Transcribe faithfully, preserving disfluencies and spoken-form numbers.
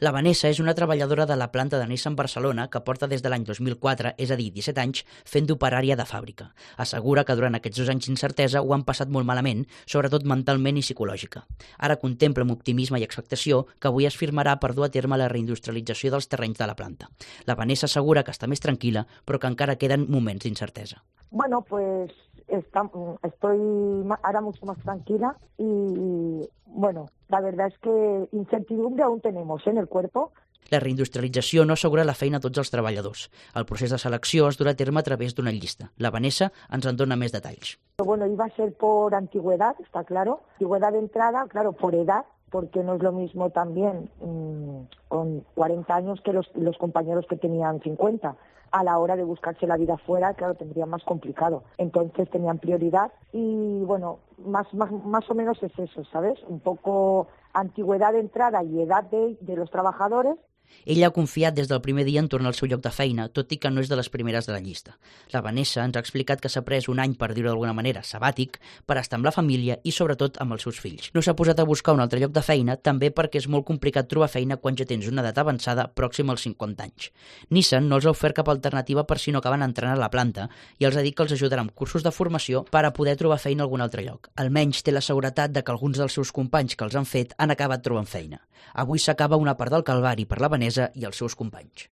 La Vanessa és una treballadora de la planta de Nissan Barcelona que porta des de l'any dos mil quatre, és a dir, disset anys, fent d'operària de fàbrica. Assegura que durant aquests dos anys d'incertesa ho han passat molt malament, sobretot mentalment i psicològica. Ara contempla amb optimisme i expectació que avui es firmarà per dur a terme la reindustrialització dels terrenys de la planta. La Vanessa assegura que està més tranquil·la, però que encara queden moments d'incertesa. Bueno, pues está, estoy ahora mucho más tranquila y, bueno, la verdad es que incertidumbre aún tenemos en el cuerpo. La reindustrialització no assegura la feina a tots els treballadors. El procés de selecció es durà a terme a través d'una llista. La Vanessa ens en dona més detalls. Bueno, iba a ser por antigüedad, está claro. Antigüedad de entrada, claro, por edad, porque no es lo mismo también mmm, con cuarenta años que los, los compañeros que tenían cincuenta. A la hora de buscarse la vida fuera, claro, tendrían más complicado. Entonces tenían prioridad y, bueno, más, más, más o menos es eso, ¿sabes? Un poco antigüedad de entrada y edad de, de los trabajadores. Ella ha confiat des del primer dia en tornar al seu lloc de feina, tot i que no és de les primeres de la llista. La Vanessa ens ha explicat que s'ha pres un any, per dir-ho d'alguna manera, sabàtic, per estar amb la família i, sobretot, amb els seus fills. No s'ha posat a buscar un altre lloc de feina, també perquè és molt complicat trobar feina quan ja tens una edat avançada pròxima als cinquanta anys. Nissan no els ha ofert cap alternativa per si no acaben entrant a la planta i els ha dit que els ajudarà amb cursos de formació per a poder trobar feina a algun altre lloc. Almenys té la seguretat de que alguns dels seus companys que els han fet han acabat trobant feina. Avui s'acaba una part del calvari per la Vanessa i els seus companys.